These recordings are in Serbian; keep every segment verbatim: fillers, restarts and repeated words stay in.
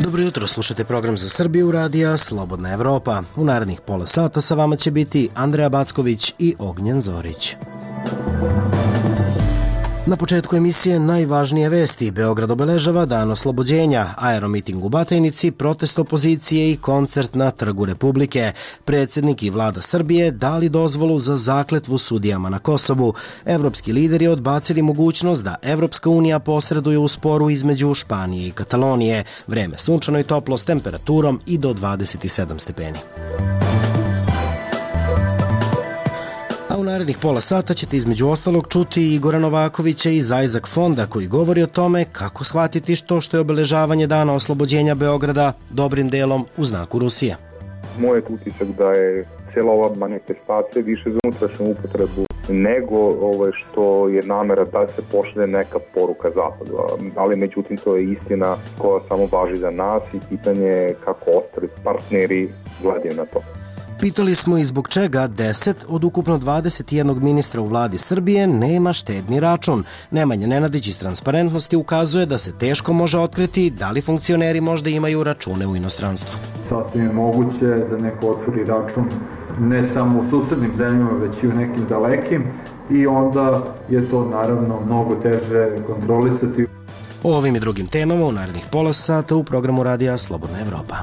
Dobro jutro, slušate program za Srbiju radija Slobodna Evropa. U narednih pola sata sa vama će biti Andreja Backović i Ognjen Zorić. Na početku emisije najvažnije vesti. Beograd obeležava Dan oslobođenja, aeromiting u Batajnici, protest opozicije i koncert na Trgu Republike. Predsjednik i vlada Srbije dali dozvolu za zakletvu sudijama na Kosovu. Evropski lideri odbacili mogućnost da Evropska unija posreduje u sporu između Španije i Katalonije. Vreme sunčano i toplo s temperaturom i do dvadeset sedam stepeni. A u narednih pola sata ćete između ostalog čuti Igora Novakovića iz Ajzak fonda koji govori o tome kako shvatiti što što je obeležavanje Dana oslobođenja Beograda dobrim delom u znaku Rusije. Moj je utisak da je cijela ova manifestacija više za unutrašnju upotrebu nego ovo što je namera da se pošalje neka poruka Zapadu. Ali međutim to je istina koja samo važi za nas i pitanje je kako ostali partneri gledaju na to. Pitali smo i zbog čega deset od ukupno dvadeset jednog ministra u vladi Srbije nema štedni račun. Nemanja Nenadić iz Transparentnosti ukazuje da se teško može otkriti da li funkcioneri možda imaju račune u inostranstvu. Sasvim je moguće da neko otvori račun ne samo u susednim zemljama, već i u nekim dalekim i onda je to naravno mnogo teže kontrolisati. O ovim i drugim temama u narednih pola sata u programu radija Slobodna Evropa.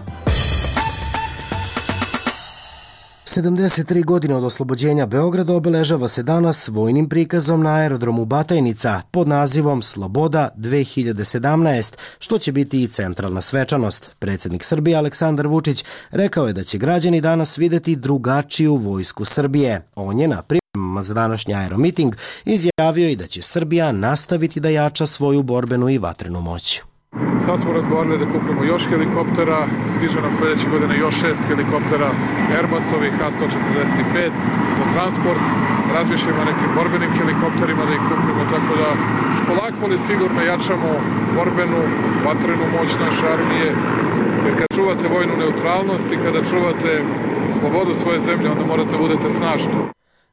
sedamdeset tri godine od oslobođenja Beograda obeležava se danas vojnim prikazom na aerodromu Batajnica pod nazivom Sloboda dve hiljade sedamnaest, što će biti i centralna svečanost. Predsjednik Srbije Aleksandar Vučić rekao je da će građani danas videti drugačiju vojsku Srbije. On je na pripremama za današnji aeromiting izjavio i da će Srbija nastaviti da jača svoju borbenu i vatrenu moć. Sad smo razgovarali da kupimo još helikoptera, stiže nam sljedeće godine još šest helikoptera Airbusovih H sto četrdeset pet za transport, razmišljamo o nekim borbenim helikopterima da ih kupimo, tako da polako ali sigurno jačamo borbenu, vatrenu moć naše armije, jer kad čuvate vojnu neutralnost i kada čuvate slobodu svoje zemlje, onda morate da budete snažni.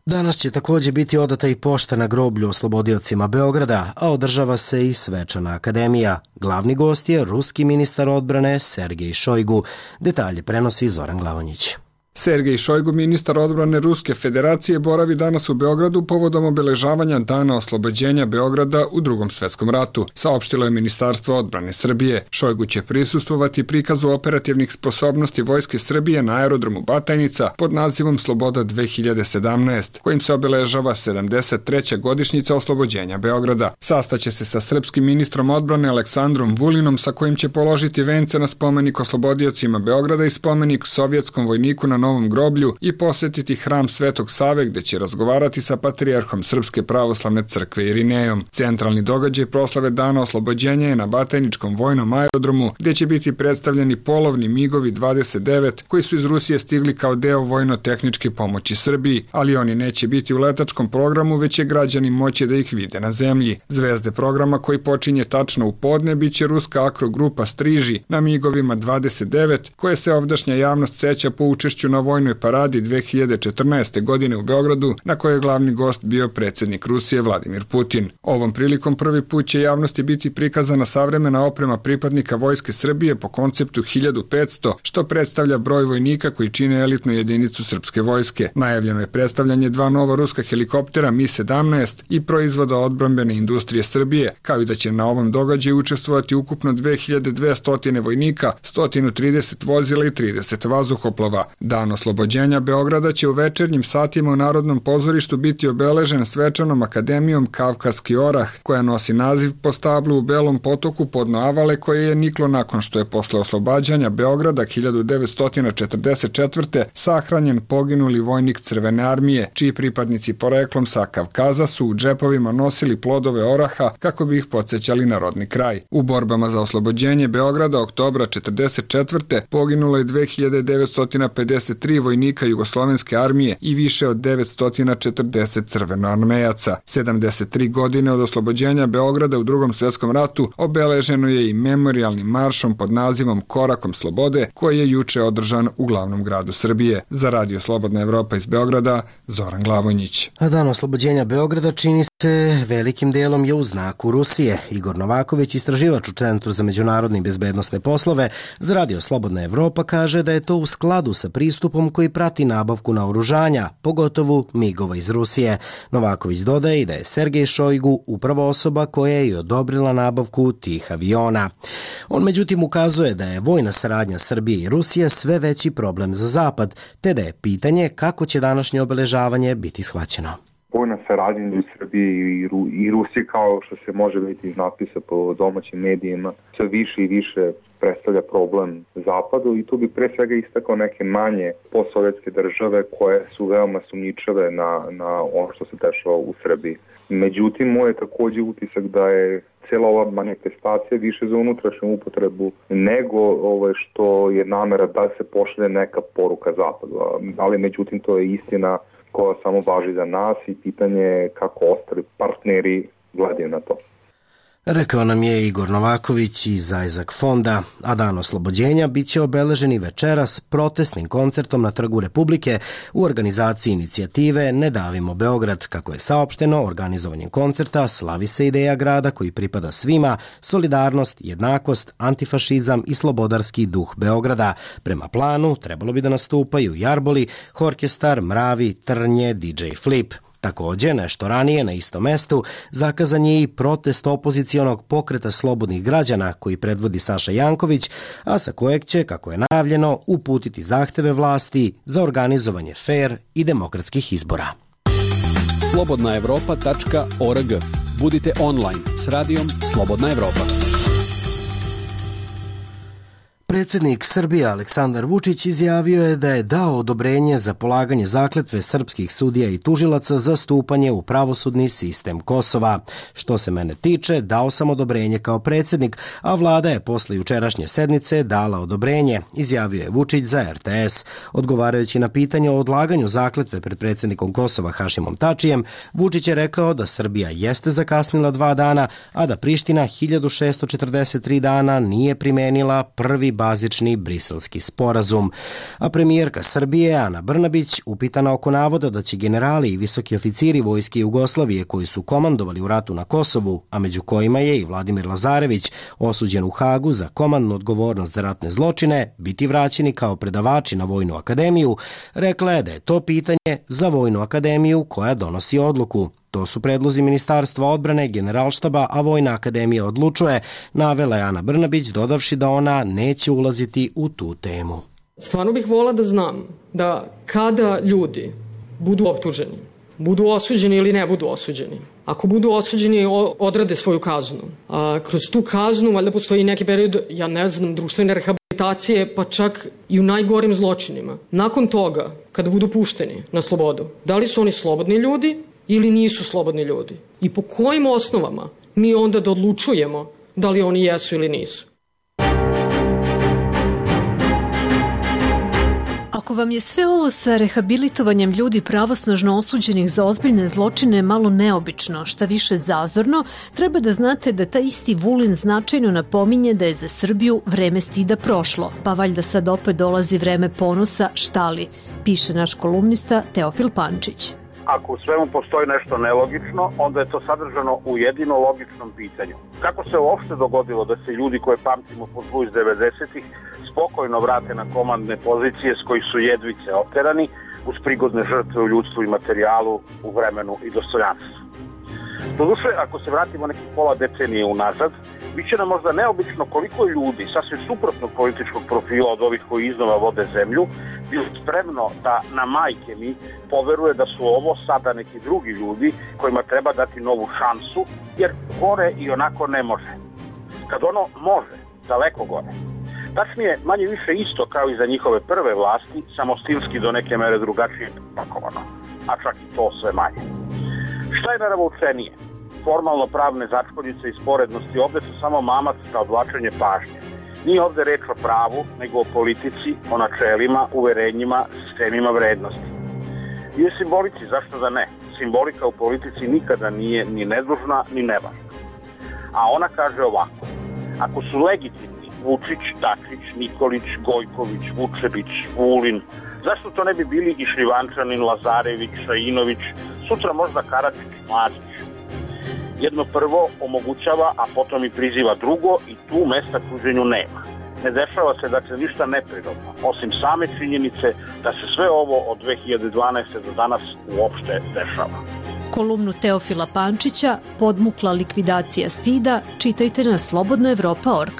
Danas će također biti odata i pošta na groblju oslobodiocima Beograda, a održava se i svečana akademija. Glavni gost je ruski ministar odbrane Sergej Šojgu. Detalje prenosi Zoran Glavonjić. Sergej Šojgu, ministar odbrane Ruske federacije, boravi danas u Beogradu povodom obeležavanja Dana oslobođenja Beograda u Drugom svetskom ratu, saopštilo je Ministarstvo odbrane Srbije. Šojgu će prisustvovati prikazu operativnih sposobnosti Vojske Srbije na aerodromu Batajnica pod nazivom Sloboda dve hiljade sedamnaest, kojim se obeležava sedamdeset treća godišnjica oslobođenja Beograda. Sastaće se sa srpskim ministrom odbrane Aleksandrom Vulinom, sa kojim će položiti vence na spomenik oslobodiocima Beograda i spomenik sovjetskom vojniku na Novom groblju i posjetiti hram Svetog Save gdje će razgovarati sa patrijarhom Srpske pravoslavne crkve Irinejom. Centralni događaj proslave Dana oslobođenja je na Batajničkom vojnom aerodromu gdje će biti predstavljeni polovni migovi dvadeset devet koji su iz Rusije stigli kao deo vojno-tehničke pomoći Srbiji, ali oni neće biti u letačkom programu, već će građani moći da ih vide na zemlji. Zvezde programa koji počinje tačno u podne bit će ruska akrogrupa Striži na migovima dvadeset devet koje se ovdašnja javnost seća po učešću na vojnoj paradi dve hiljade četrnaeste. godine u Beogradu, na kojoj je glavni gost bio predsjednik Rusije Vladimir Putin. Ovom prilikom prvi put će javnosti biti prikazana savremena oprema pripadnika Vojske Srbije po konceptu hiljadu petsto, što predstavlja broj vojnika koji čine elitnu jedinicu srpske vojske. Najavljeno je predstavljanje dva nova ruska helikoptera Mi sedamnaest i proizvoda odbrambene industrije Srbije, kao i da će na ovom događaju učestvovati ukupno dve hiljade dvesta vojnika, sto trideset vozila i trideset vazduhoplova. Dan oslobođenja Beograda će u večernjim satima u Narodnom pozorištu biti obeležen svečanom akademijom Kavkaski orah, koja nosi naziv po stablu u Belom potoku podno Avale, koje je niklo nakon što je posle oslobađanja Beograda hiljadu devetsto četrdeset četvrte. sahranjen poginuli vojnik Crvene armije, čiji pripadnici poreklom sa Kavkaza su u džepovima nosili plodove oraha kako bi ih podsjećali na rodni kraj. U borbama za oslobođenje Beograda oktobra četrdeset četvrte. poginulo je dve hiljade devetsto pedeset tri vojnika Jugoslovenske armije i više od devetsto četrdeset crvenoarmejaca. sedamdeset tri godine od oslobođenja Beograda u Drugom svjetskom ratu obeleženo je i memorijalnim maršom pod nazivom Korakom slobode, koji je juče održan u glavnom gradu Srbije. Za Radio Slobodna Evropa iz Beograda, Zoran Glavonjić. A Dan oslobođenja Beograda čini se velikim delom je u znaku Rusije. Igor Novaković, istraživač u Centru za međunarodne i bezbednosne poslove za Radio Slobodna Evropa, kaže da je to u skladu sa pristupom koji prati nabavku naoružanja, pogotovo migova iz Rusije. Novaković dodaje i da je Sergej Šojgu upravo osoba koja je i odobrila nabavku tih aviona. On međutim ukazuje da je vojna saradnja Srbije i Rusije sve veći problem za Zapad, te da je pitanje kako će današnje obeležavanje biti shvaćeno. Vojna saradnja u Srbiji i, Ru, i Rusiji, kao što se može vidjeti iz napisa po domaćim medijima, sve više i više predstavlja problem Zapadu, i tu bi pre svega istakao neke manje postsovjetske države koje su veoma sumnjičave na, na ono što se dešava u Srbiji. Međutim, moj je također utisak da je cijela ova manifestacija više za unutrašnju upotrebu nego ovo što je namera da se pošalje neka poruka Zapadu. Ali međutim, to je istina koja samo važi za nas i pitanje je kako ostali partneri gledaju na to. Rekao nam je Igor Novaković iz Isaac fonda, a dan oslobođenja bit će obeleženi večeras protestnim koncertom na Trgu Republike u organizaciji inicijative Ne davimo Beograd. Kako je saopšteno, organizovanjem koncerta slavi se ideja grada koji pripada svima, solidarnost, jednakost, antifašizam i slobodarski duh Beograda. Prema planu trebalo bi da nastupaju Jarboli, Horkestar, Mravi, Trnje, D J Flip. Također, nešto ranije na istom mestu zakazan je i protest opozicijonog pokreta slobodnih građana koji predvodi Saša Janković, a sa kojeg će, kako je najavljeno, uputiti zahteve vlasti za organizovanje fer i demokratskih izbora. slobodna evropa tačka org. Budite online s radijom Slobodna Evropa. Predsjednik Srbije Aleksandar Vučić izjavio je da je dao odobrenje za polaganje zakletve srpskih sudija i tužilaca za stupanje u pravosudni sistem Kosova. Što se mene tiče, dao sam odobrenje kao predsjednik, a vlada je posle jučerašnje sednice dala odobrenje, izjavio je Vučić za R T S. Odgovarajući na pitanje o odlaganju zakletve pred predsjednikom Kosova Hašimom Tačijem, Vučić je rekao da Srbija jeste zakasnila dva dana, a da Priština hiljadu šessto četrdeset tri dana nije primenila prvi bazični briselski sporazum. A premijerka Srbije Ana Brnabić, upitana oko navoda da će generali i visoki oficiri vojske Jugoslavije koji su komandovali u ratu na Kosovu, a među kojima je i Vladimir Lazarević, osuđen u Hagu za komandnu odgovornost za ratne zločine, biti vraćeni kao predavači na Vojnu akademiju, rekla je da je to pitanje za Vojnu akademiju koja donosi odluku. To su predlozi Ministarstva odbrane, Generalštaba, a Vojna akademija odlučuje, navela je Ana Brnabić, dodavši da ona neće ulaziti u tu temu. Stvarno bih volila da znam da kada ljudi budu optuženi, budu osuđeni ili ne budu osuđeni, ako budu osuđeni, odrade svoju kaznu. A kroz tu kaznu valjda postoji neki period, ja ne znam, društvene rehabilitacije, pa čak i u najgorim zločinima. Nakon toga, kada budu pušteni na slobodu, da li su oni slobodni ljudi ili nisu slobodni ljudi? I po kojim osnovama mi onda da odlučujemo da li oni jesu ili nisu? Ako vam je sve ovo sa rehabilitovanjem ljudi pravosnažno osuđenih za ozbiljne zločine malo neobično, šta više zazorno, treba da znate da taj isti Vulin značajno napominje da je za Srbiju vreme stida prošlo, pa valjda sad opet dolazi vreme ponosa, šta li, piše naš kolumnista Teofil Pančić. Ako u svemu postoji nešto nelogično, onda je to sadržano u jedino logičnom pitanju. Kako se uopšte dogodilo da se ljudi koje pamtimo po zlu iz devedesetih spokojno vrate na komandne pozicije s kojih su jedvice oterani uz prigodne žrtve u ljudstvu i materijalu, u vremenu i dostojanstvu? Doduše, ako se vratimo nekih pola decenije unazad, bit će nam možda neobično koliko ljudi sasvim suprotnog političkog profila od ovih koji iznova vode zemlju bilo spremno da na majke mi poveruje da su ovo sada neki drugi ljudi kojima treba dati novu šansu, jer gore i onako ne može. Kad ono može, daleko gore. Tačnije, manje više isto kao i za njihove prve vlasti, samo stilski do neke mere drugačije pakovano, a čak i to sve manje. Šta je naravoučenije? Formalno pravne začkoljice i sporednosti ovde su samo mamac za odvlačenje pažnje. Nije ovde reč o pravu, nego o politici, o načelima, uverenjima, sistemima vrednosti. I o simbolici, zašto da ne? Simbolika u politici nikada nije ni nedužna, ni nevažna. A ona kaže ovako: ako su legitimni Vučić, Dačić, Nikolić, Gojković, Vučević, Vulin, zašto to ne bi bili i Šljivančanin, Lazarević, Šajinović, sutra možda Karadžić, Mladić? jedno prvo omogućava, a potom i priziva drugo i tu mesta kuženju nema. Ne dešava se dakle ništa neprirodno, osim same činjenice da se sve ovo od dve hiljade dvanaeste. do danas uopšte dešava. Kolumnu Teofila Pančića Podmukla likvidacija stida čitajte na slobodna evropa tačka org.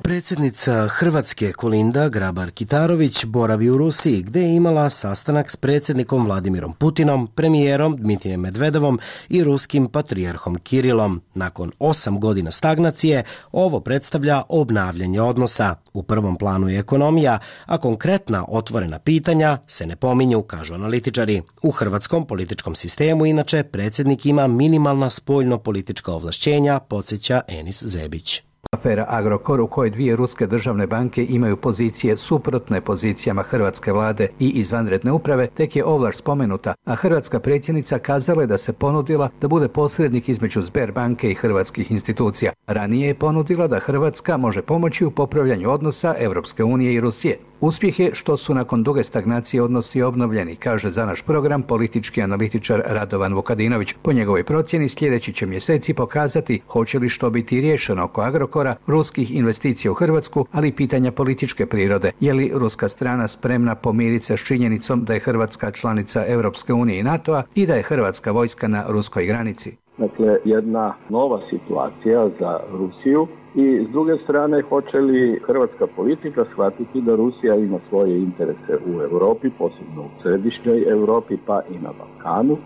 Predsjednica Hrvatske Kolinda Grabar-Kitarović boravi u Rusiji, gde je imala sastanak s predsjednikom Vladimirom Putinom, premijerom Dmitrijem Medvedevom i ruskim patrijarhom Kirilom. Nakon osam godina stagnacije, ovo predstavlja obnavljanje odnosa. U prvom planu je ekonomija, a konkretna otvorena pitanja se ne pominju, kažu analitičari. U hrvatskom političkom sistemu, inače, predsjednik ima minimalna spoljno-politička ovlašćenja, podsjeća Enis Zebić. Afera Agrokor, u kojoj dvije ruske državne banke imaju pozicije suprotne pozicijama hrvatske vlade i izvanredne uprave, tek je ovlaš spomenuta, a hrvatska predsjednica kazala je da se ponudila da bude posrednik između Sberbanke i hrvatskih institucija. Ranije je ponudila da Hrvatska može pomoći u popravljanju odnosa Evropske unije i Rusije. Uspjeh je što su nakon duge stagnacije odnosi obnovljeni, kaže za naš program politički analitičar Radovan Vukadinović. Po njegovoj procjeni sljedeći će mjeseci pokazati hoće li što biti riješeno oko Agrokora, ruskih investicija u Hrvatsku, ali i pitanja političke prirode. Je li ruska strana spremna pomiriti se s činjenicom da je Hrvatska članica Europske unije i NATO-a i da je hrvatska vojska na ruskoj granici? Dakle, jedna nova situacija za Rusiju. I s druge strane, hoće li hrvatska politika shvatiti da Rusija ima svoje interese u Europi, posebno u središnjoj Europi, pa i na Balkanu.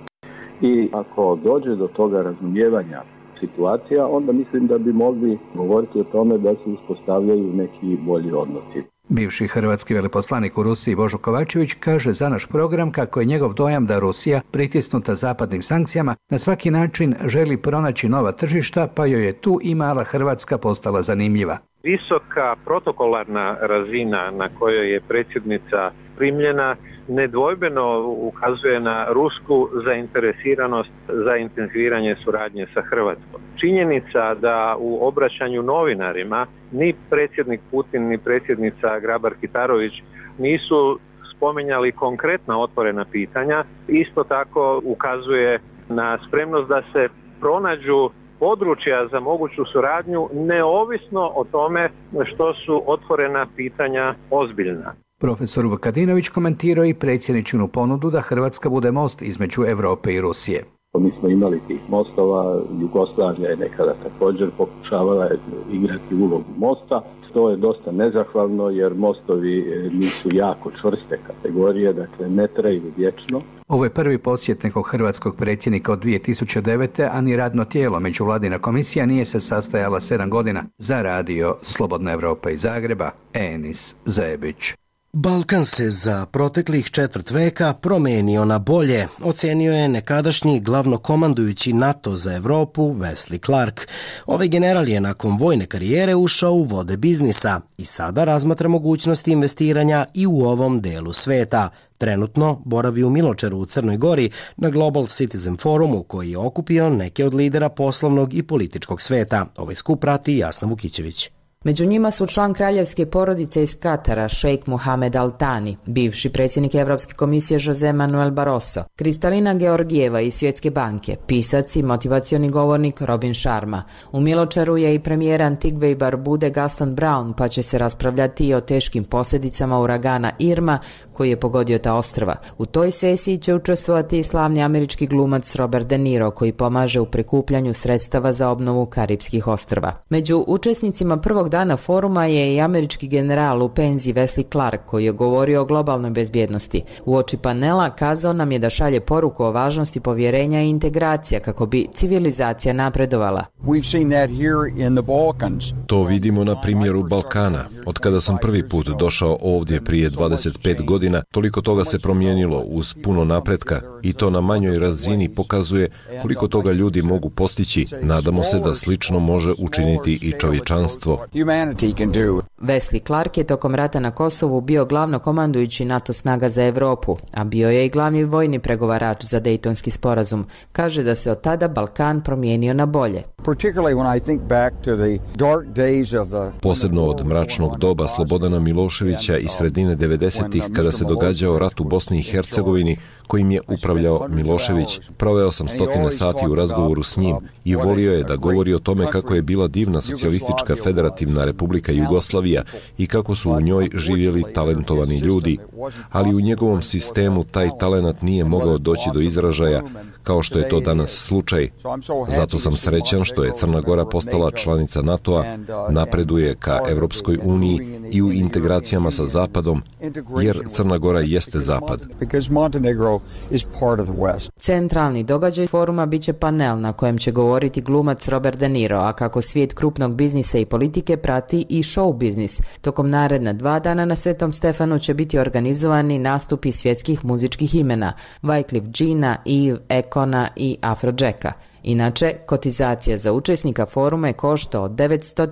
I ako dođe do toga razumijevanja situacija, onda mislim da bi mogli govoriti o tome da se uspostavljaju neki bolji odnosi. Bivši hrvatski veleposlanik u Rusiji Božo Kovačević kaže za naš program kako je njegov dojam da Rusija, pritisnuta zapadnim sankcijama, na svaki način želi pronaći nova tržišta, pa joj je tu i mala Hrvatska postala zanimljiva. Visoka protokolarna razina na kojoj je predsjednica primljena nedvojbeno ukazuje na rusku zainteresiranost za intenziviranje suradnje sa Hrvatskom. Činjenica da u obraćanju novinarima ni predsjednik Putin ni predsjednica Grabar-Kitarović nisu spominjali konkretna otvorena pitanja, isto tako ukazuje na spremnost da se pronađu područja za moguću suradnju neovisno o tome što su otvorena pitanja ozbiljna. Profesor Vukadinović komentirao i predsjedničinu ponudu da Hrvatska bude most između Europe i Rusije. Mi smo imali tih mostova, Jugoslavija je nekada također pokušavala igrati ulogu mosta. To je dosta nezahvalno jer mostovi nisu jako čvrste kategorije, dakle ne traju vječno. Ovo je prvi posjet nekog hrvatskog predsjednika od dvije tisuće devete. a ni radno tijelo međuvladina komisija nije se sastajala sedam godina. Za radio Slobodna Evropa iz Zagreba, Enis Zebić. Balkan se za proteklih četvrt veka promenio na bolje, ocenio je nekadašnji glavnokomandujući NATO za Evropu Wesley Clark. Ovaj general je nakon vojne karijere ušao u vode biznisa i sada razmatra mogućnosti investiranja i u ovom delu sveta. Trenutno boravi u Miločeru u Crnoj Gori na Global Citizen Forumu koji je okupio neke od lidera poslovnog i političkog sveta. Ovaj skup prati Jasna Vukićević. Među njima su član kraljevske porodice iz Katara, šejk Mohamed Al Thani, bivši predsjednik Evropske komisije Jose Manuel Barroso, Kristalina Georgijeva iz Svjetske banke, pisac i motivacioni govornik Robin Sharma. U Miločeru je i premijer Antigve i Barbude Gaston Brown, pa će se raspravljati i o teškim posljedicama uragana Irma koji je pogodio ta ostrva. U toj sesiji će učestvovati i slavni američki glumac Robert De Niro koji pomaže u prikupljanju sredstava za obnovu Karipskih ostrva. Među učesnicima prvog dana foruma je i američki general u penziji Wesley Clark koji je govorio o globalnoj bezbjednosti. Uoči panela kazao nam je da šalje poruku o važnosti povjerenja i integracija kako bi civilizacija napredovala. To vidimo na primjeru Balkana. Od kada sam prvi put došao ovdje prije dvadeset pet godina, toliko toga se promijenilo uz puno napretka i to na manjoj razini pokazuje koliko toga ljudi mogu postići. Nadamo se da slično može učiniti i čovječanstvo. Wesley Clark je tokom rata na Kosovu bio glavnokomandujući NATO snaga za Europu, a bio je i glavni vojni pregovarač za Dejtonski sporazum. Kaže da se od tada Balkan promijenio na bolje. Posebno od mračnog doba Slobodana Miloševića i sredine devedesetih kada se događao rat u Bosni i Hercegovini kojim je upravljao Milošević. Proveo sam stotine sati u razgovoru s njim i volio je da govori o tome kako je bila divna socijalistička federativna Republika Jugoslavija i kako su u njoj živjeli talentovani ljudi, ali u njegovom sistemu taj talenat nije mogao doći do izražaja kao što je to danas slučaj. Zato sam srećan što je Crna Gora postala članica NATO-a, napreduje ka Evropskoj uniji i u integracijama sa Zapadom, jer Crna Gora jeste Zapad. Centralni događaj foruma biće panel na kojem će govoriti glumac Robert De Niro, a kako svijet krupnog biznisa i politike prati i show biznis. Tokom naredna dva dana na Svetom Stefanu će biti organizovani nastupi svjetskih muzičkih imena Wyclef Jeana, Eve, Ekona i Afrojacka. Inače, kotizacija za učesnika foruma je košta od devetsto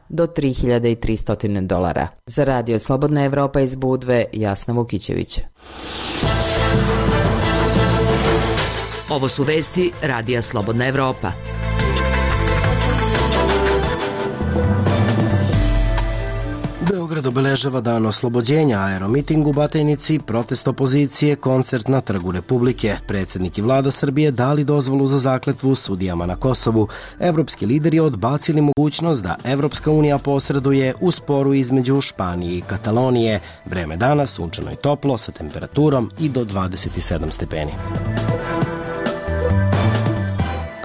do tri hiljade tristo dolara. Za Radio Slobodna Evropa iz Budve, Jasna Vukićević. Ovo su vesti Radija Slobodna Evropa. Beograd obeležava dan oslobođenja, aeromiting u Batajnici, protest opozicije, koncert na Trgu Republike. Predsjednik i vlada Srbije dali dozvolu za zakletvu sudijama na Kosovu. Evropski lideri odbacili mogućnost da Evropska unija posreduje u sporu između Španije i Katalonije. Vreme dana sunčano i toplo sa temperaturom i do dvadeset sedam stepeni.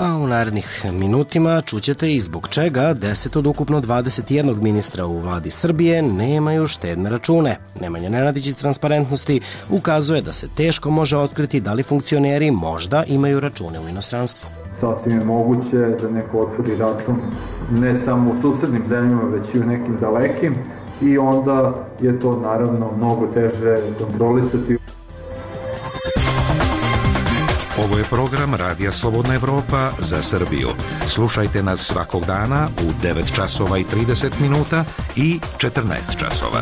A u narednih minutima čućete i zbog čega deset od ukupno dvadeset jednog ministra u vladi Srbije nemaju štedne račune. Nemanja Nenadić iz Transparentnosti ukazuje da se teško može otkriti da li funkcioneri možda imaju račune u inostranstvu. Sasvim je moguće da neko otvori račun ne samo u susednim zemljama, već i u nekim dalekim i onda je to naravno mnogo teže kontrolisati. Ovo je program Radija Slobodna Evropa za Srbiju. Slušajte nas svakog dana u devet časova i trideset minuta i četrnaest časova.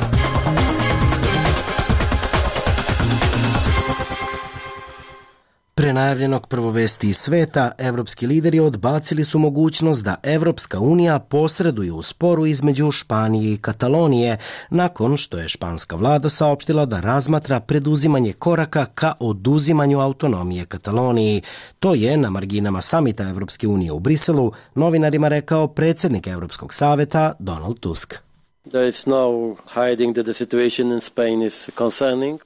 Pre najavljenog prvovesti iz sveta, evropski lideri odbacili su mogućnost da Evropska unija posreduje u sporu između Španije i Katalonije, nakon što je španska vlada saopštila da razmatra preduzimanje koraka ka oduzimanju autonomije Kataloniji. To je na marginama samita Evropske unije u Briselu novinarima rekao predsjednik Evropskog saveta Donald Tusk.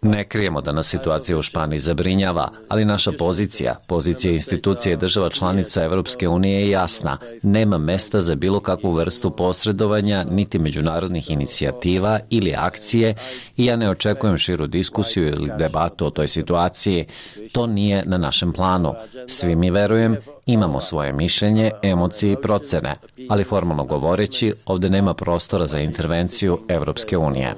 Ne krijemo da nas situacija u Španiji zabrinjava, ali naša pozicija, pozicija institucije država članica Evropske unije je jasna. Nema mesta za bilo kakvu vrstu posredovanja, niti međunarodnih inicijativa ili akcije i ja ne očekujem širu diskusiju ili debatu o toj situaciji. To nije na našem planu. Svi mi, verujem, imamo svoje mišljenje, emocije i procene, ali formalno govoreći, ovdje nema prostora za intervenciju Evropske unije.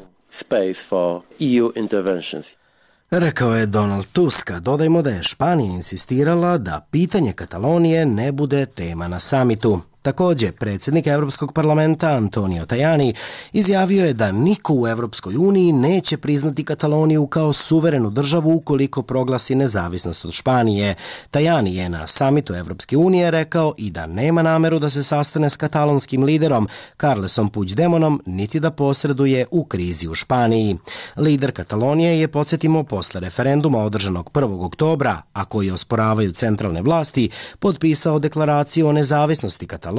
Rekao je Donald Tusk. Dodajmo da je Španija insistirala da pitanje Katalonije ne bude tema na samitu. Također, predsjednik Evropskog parlamenta Antonio Tajani izjavio je da niko u Evropskoj uniji neće priznati Kataloniju kao suverenu državu ukoliko proglasi nezavisnost od Španije. Tajani je na samitu Evropske unije rekao i da nema nameru da se sastane s katalonskim liderom Carlesom Puigdemontom niti da posreduje u krizi u Španiji. Lider Katalonije je, podsjetimo, posle referenduma održanog prvog oktobra, a koji osporavaju centralne vlasti, potpisao deklaraciju o nezavisnosti Katalonije,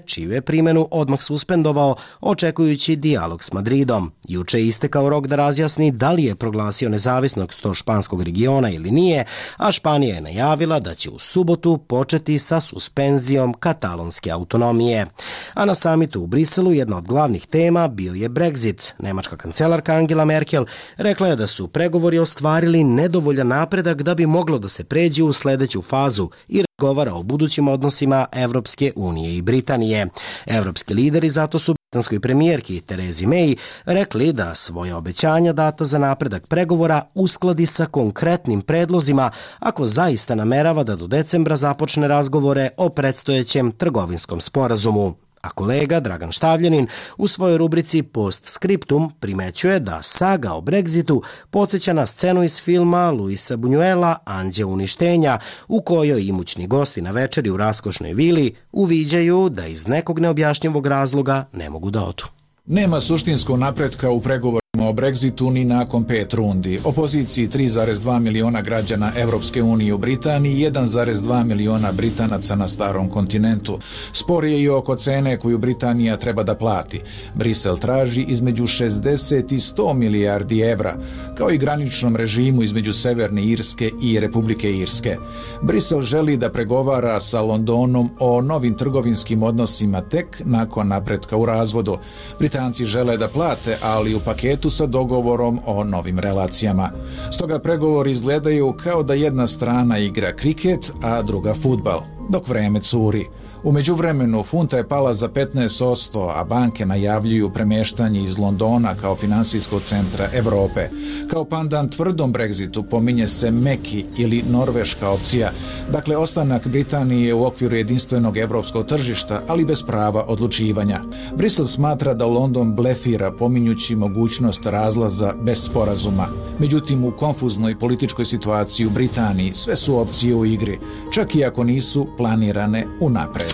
čiju je primjenu odmah suspendovao, očekujući dijalog s Madridom. Juče je istekao rok da razjasni da li je proglasio nezavisnost od španskog regiona ili nije, a Španija je najavila da će u subotu početi sa suspenzijom katalonske autonomije. A na samitu u Briselu jedna od glavnih tema bio je Brexit. Nemačka kancelarka Angela Merkel rekla je da su pregovori ostvarili nedovoljan napredak da bi moglo da se pređe u sljedeću fazu i govara o budućim odnosima Evropske unije i Britanije. Evropski lideri zato su britanskoj premijerki Terezi May rekli da svoje obećanja data za napredak pregovora uskladi sa konkretnim predlozima ako zaista namerava da do decembra započne razgovore o predstojećem trgovinskom sporazumu. A kolega Dragan Štavljanin u svojoj rubrici Post Scriptum primećuje da saga o Brexitu podsjeća na scenu iz filma Luisa Buñuela Anđeo uništenja, u kojoj imućni gosti na večeri u raskošnoj vili uviđaju da iz nekog neobjašnjivog razloga ne mogu da odu. Nema suštinskog napretka u pregovorima o Brexitu ni nakon pet rundi. Opoziciji tri zarez dva miliona građana Evropske unije u Britaniji i jedan zarez dva miliona Britanaca na starom kontinentu. Spor je i oko cene koju Britanija treba da plati. Brisel traži između šezdeset i sto milijardi evra, kao i graničnom režimu između Severne Irske i Republike Irske. Brisel želi da pregovara sa Londonom o novim trgovinskim odnosima tek nakon napretka u razvodu. Britanci žele da plate, ali u paketu sa dogovorom o novim relacijama. Stoga pregovori izgledaju kao da jedna strana igra kriket, a druga fudbal, dok vreme curi. U međuvremenu funta je pala za petnaest posto, a banke najavljuju premeštanje iz Londona kao finansijskog centra Evrope. Kao pandan tvrdom Brexitu pominje se meki ili norveška opcija, dakle ostanak Britanije u okviru jedinstvenog evropskog tržišta, ali bez prava odlučivanja. Brisel smatra da London blefira pominjući mogućnost razlaza bez sporazuma. Međutim, u konfuznoj političkoj situaciji u Britaniji sve su opcije u igri, čak i ako nisu planirane unapred.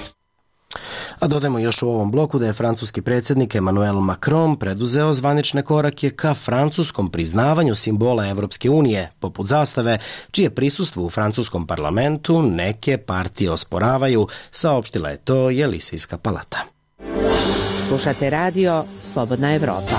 A dodajmo još u ovom bloku da je francuski predsjednik Emmanuel Macron preduzeo zvanične korake ka francuskom priznavanju simbola Evropske unije, poput zastave, čije prisustvo u francuskom parlamentu neke partije osporavaju, saopštila je to Jelisejska palata. Slušate radio Slobodna Evropa.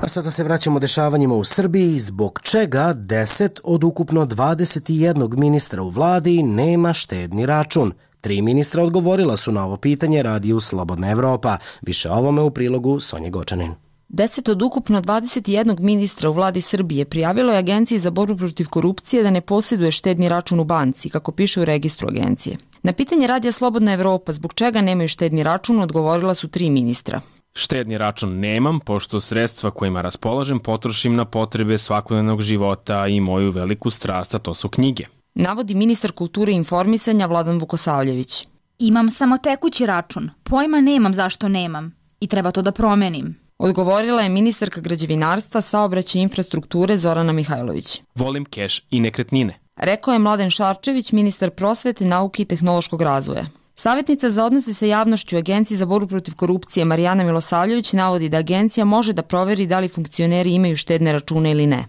A sada se vraćamo dešavanjima u Srbiji, zbog čega deset od ukupno dvadeset jednog ministra u vladi nema štedni račun. Tri ministra odgovorila su na ovo pitanje radiju Slobodna Evropa. Više o ovome u prilogu Sonje Gočanin. Deset od ukupno dvadeset jednog ministra u vladi Srbije prijavilo je Agenciji za borbu protiv korupcije da ne posjeduje štedni račun u banci, kako piše u registru agencije. Na pitanje radija Slobodna Evropa zbog čega nemaju štedni račun odgovorila su tri ministra. Štedni račun nemam, pošto sredstva kojima raspolažem potrošim na potrebe svakodnevnog života i moju veliku strast, a to su knjige. Navodi ministar kulture i informisanja Vladan Vukosavljević. Imam samo tekući račun, pojma nemam zašto nemam i treba to da promenim. Odgovorila je ministarka građevinarstva, saobraćaja i infrastrukture Zorana Mihajlović. Volim keš i nekretnine. Rekao je Mladen Šarčević, ministar prosvete, nauke i tehnološkog razvoja. Savjetnica za odnose sa javnošću Agenciji za borbu protiv korupcije Marijana Milosavljević navodi da agencija može da proveri da li funkcioneri imaju štedne račune ili ne.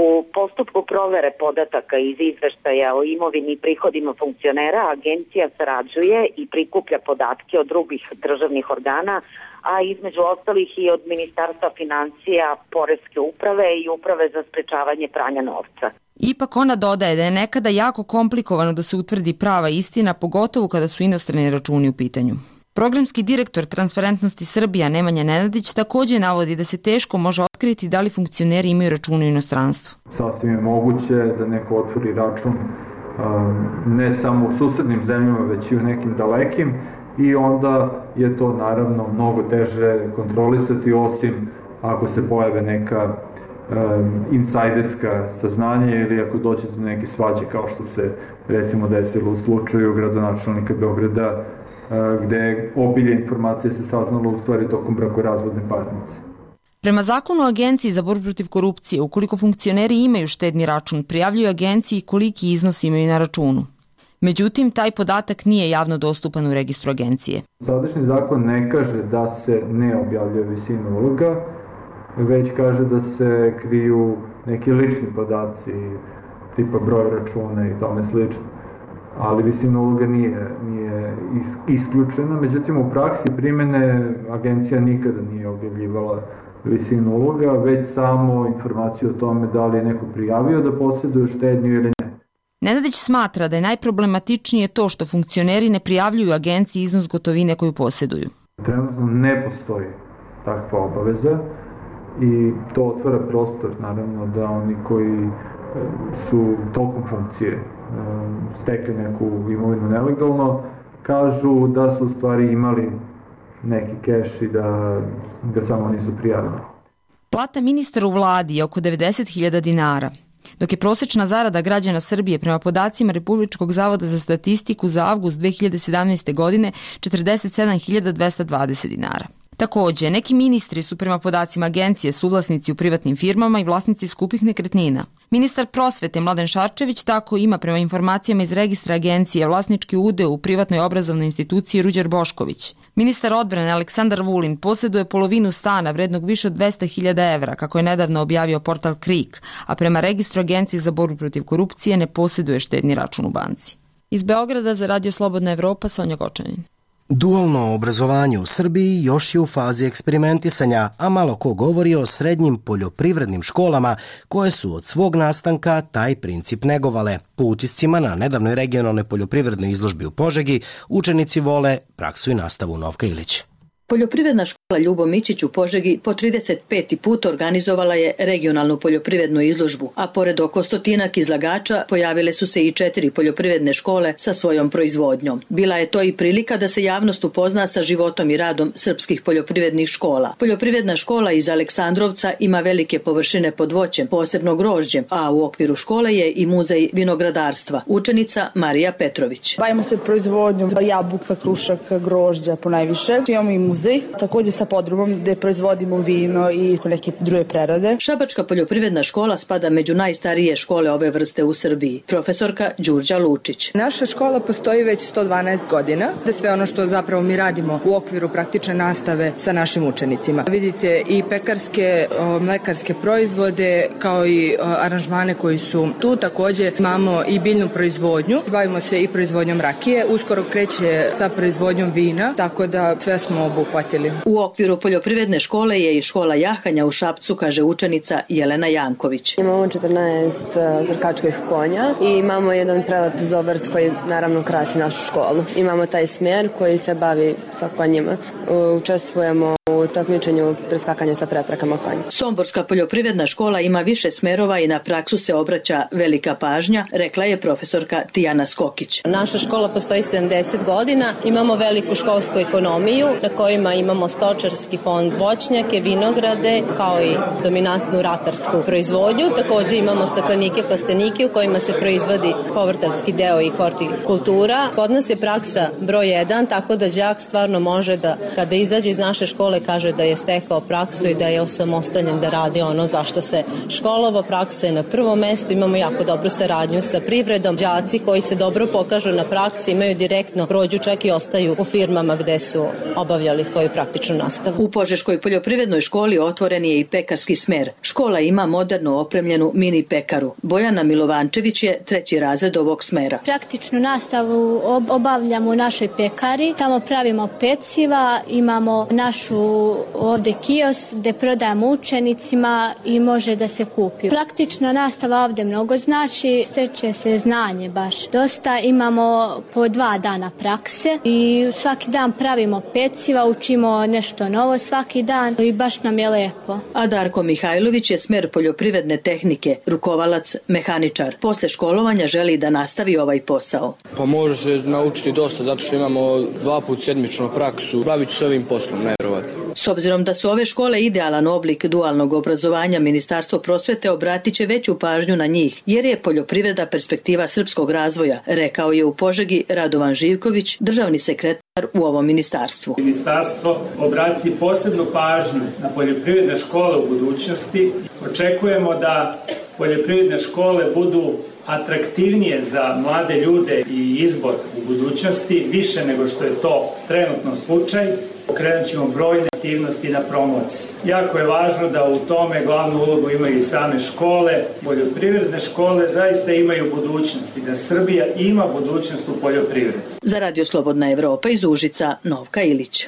U postupku provere podataka iz izveštaja o imovini i prihodima funkcionera agencija sarađuje i prikuplja podatke od drugih državnih organa, a između ostalih i od Ministarstva financija, Poreske uprave i Uprave za sprečavanje pranja novca. Ipak ona dodaje da je nekada jako komplikovano da se utvrdi prava istina, pogotovo kada su inostrani računi u pitanju. Programski direktor Transparentnosti Srbija Nemanja Nenadić također navodi da se teško može otkriti da li funkcioneri imaju račune u inostranstvu. Sasvim je moguće da neko otvori račun ne samo u susednim zemljama, već i u nekim dalekim, i onda je to naravno mnogo teže kontrolisati, osim ako se pojave neka insajderska saznanja ili ako dođe do neke svađe, kao što se recimo desilo u slučaju gradonačelnika Beograda, gde obilje informacije se saznalo u stvari tokom brakorazvodne parnice. Prema zakonu o Agenciji za borbu protiv korupcije, ukoliko funkcioneri imaju štedni račun, prijavljuju agenciji koliki iznos imaju na računu. Međutim, taj podatak nije javno dostupan u registru agencije. Sadašnji zakon ne kaže da se ne objavljuje visina uloga, već kaže da se kriju neki lični podaci, tipa broj računa i tome slično. Ali visina uloga nije, nije isključena. Međutim, u praksi primene agencija nikada nije objavljivala visinu uloga, već samo informaciju o tome da li je neko prijavio da posjeduje štednju ili ne. Nenadić smatra da je najproblematičnije to što funkcioneri ne prijavljuju agenciji iznos gotovine koju posjeduju. Trenutno ne postoji takva obaveza i to otvara prostor, naravno, da oni koji su tokom funkcije stekli neku imovinu nelegalno, kažu da su u stvari imali neki keš i da ga samo nisu prijavili. Plata ministra u vladi je oko devedeset hiljada dinara. Dok je prosečna zarada građana Srbije prema podacima Republičkog zavoda za statistiku za avgust dve hiljade sedamnaeste. godine četrdeset sedam hiljada dvesta dvadeset dinara. Takođe, neki ministri su prema podacima agencije suvlasnici u privatnim firmama i vlasnici skupih nekretnina. Ministar prosvete Mladen Šarčević tako ima prema informacijama iz registra agencije vlasnički udeo u privatnoj obrazovnoj instituciji Ruđer Bošković. Ministar odbrane Aleksandar Vulin posjeduje polovinu stana vrednog više od dvesta hiljada evra, kako je nedavno objavio portal Krik, a prema registru agencije za borbu protiv korupcije ne posjeduje štedni račun u banci. Iz Beograda za Radio Slobodna Evropa, Sonja Gočanin. Dualno obrazovanje u Srbiji još je u fazi eksperimentisanja, a malo ko govori o srednjim poljoprivrednim školama koje su od svog nastanka taj princip negovale. Po utiscima na nedavnoj regionalnoj poljoprivrednoj izložbi u Požegi, učenici vole praksu i nastavu. Novka Ilić. Poljoprivredna škola Ljubo Mićić u Požegi po trideset peti put organizovala je regionalnu poljoprivrednu izložbu, a pored oko stotinak izlagača pojavile su se i četiri poljoprivredne škole sa svojom proizvodnjom. Bila je to i prilika da se javnost upozna sa životom i radom srpskih poljoprivrednih škola. Poljoprivredna škola iz Aleksandrovca ima velike površine pod voćem, posebno grožđem, a u okviru škole je i muzej vinogradarstva. Učenica Marija Petrović. Bavimo se proizvodnjom jabuka, krušaka, grožđa ponajviše. Imamo i muzej, također sa podrumom gde proizvodimo vino i neke druge prerade. Šabačka poljoprivredna škola spada među najstarije škole ove vrste u Srbiji. Profesorka Đurđa Lučić. Naša škola postoji već sto dvanaest godina, da sve ono što zapravo mi radimo u okviru praktične nastave sa našim učenicima. Vidite i pekarske, mlekarske proizvode, kao i aranžmane koji su tu. Također imamo i biljnu proizvodnju. Bavimo se i proizvodnjom rakije. Uskoro kreće sa proizvodnjom vina, tako da sve smo obuhvatili. U okviru poljoprivredne škole je i škola jahanja u Šapcu, kaže učenica Jelena Janković. Imamo četrnaest trkačkih konja i imamo jedan prelep zovrt koji naravno krasi našu školu. Imamo taj smjer koji se bavi sa konjima. Učestvujemo u takmičenju preskakanja sa preprekama konja. Somborska poljoprivredna škola ima više smerova i na praksu se obraća velika pažnja, rekla je profesorka Tijana Skokić. Naša škola postoji sedamdeset godina, imamo veliku školsku ekonomiju na kojima imamo stočarski fond, voćnjake, vinograde, kao i dominantnu ratarsku proizvodnju. Također imamo staklenike, plastenike u kojima se proizvodi povrtarski deo i hortikultura. Kod nas je praksa broj jedan, tako da đak stvarno može da kada izađe iz naše škole kaže da je stekao praksu i da je osamostaljen da radi ono zašto se školovao. Praksa je na prvom mestu, imamo jako dobru saradnju sa privredom. Đaci koji se dobro pokažu na praksi imaju direktno prođu, čak i ostaju u firmama gde su obavljali svoju praktičnu nastavu. U Požeškoj poljoprivrednoj školi otvoren je i pekarski smer. Škola ima moderno opremljenu mini pekaru. Bojana Milovančević je treći razred ovog smera. Praktičnu nastavu obavljamo u našoj pekari. Tamo pravimo peciva, imamo našu ovde kios gde prodajemo učenicima i može da se kupi. Praktična nastava ovde mnogo znači, steče se znanje baš. Dosta imamo po dva dana prakse i svaki dan pravimo peciva, učimo nešto novo svaki dan i baš nam je lepo. A Darko Mihajlović je smer poljoprivredne tehnike, rukovalac, mehaničar. Posle školovanja želi da nastavi ovaj posao. Pa može se naučiti dosta zato što imamo dva put sedmičnu praksu. Bavit ću se ovim poslom, nevjerovatno. S obzirom da su ove škole idealan oblik dualnog obrazovanja, Ministarstvo prosvete obratit će veću pažnju na njih, jer je poljoprivreda perspektiva srpskog razvoja, rekao je u Požegi Radovan Živković, državni sekretar u ovom ministarstvu. Ministarstvo obrati posebnu pažnju na poljoprivredne škole u budućnosti. Očekujemo da poljoprivredne škole budu atraktivnije za mlade ljude i izbor u budućnosti, više nego što je to trenutno slučaj. Pokrenut ćemo brojne aktivnosti na promociji. Jako je važno da u tome glavnu ulogu imaju i same škole. Poljoprivredne škole zaista imaju budućnost i da Srbija ima budućnost u poljoprivredi. Za Radio Slobodna Evropa iz Užica, Novka Ilić.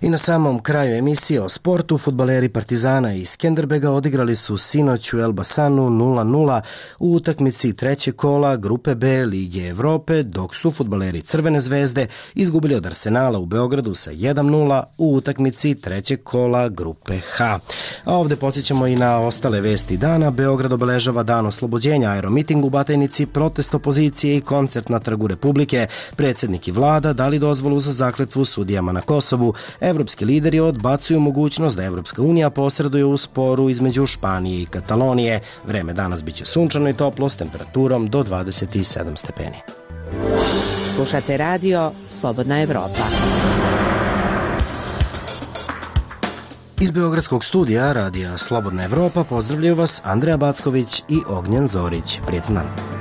I na samom kraju emisije o sportu, fudbaleri Partizana iz Skenderbega odigrali su sinoć u Elbasanu nula nula u utakmici trećeg kola Grupe B Lige Evrope, dok su fudbaleri Crvene zvezde izgubili od Arsenala u Beogradu sa jedan nula u utakmici trećeg kola Grupe H. A ovde podsjećamo i na ostale vesti dana. Beograd obeležava dan oslobođenja, aeromiting u Batajnici, protest opozicije i koncert na Trgu Republike. Predsjednik i vlada dali dozvolu za zakletvu sudijama na Kosovu. evropski lideri odbacuju mogućnost da Evropska unija posreduje u sporu između Španije i Katalonije. Vreme danas biće sunčano i toplo s temperaturom do dvadeset sedam stepeni. Slušate radio Slobodna Evropa. Iz Beogradskog studija radija Slobodna Evropa pozdravljaju vas Andreja Backović i Ognjen Zorić. Prijetan dan.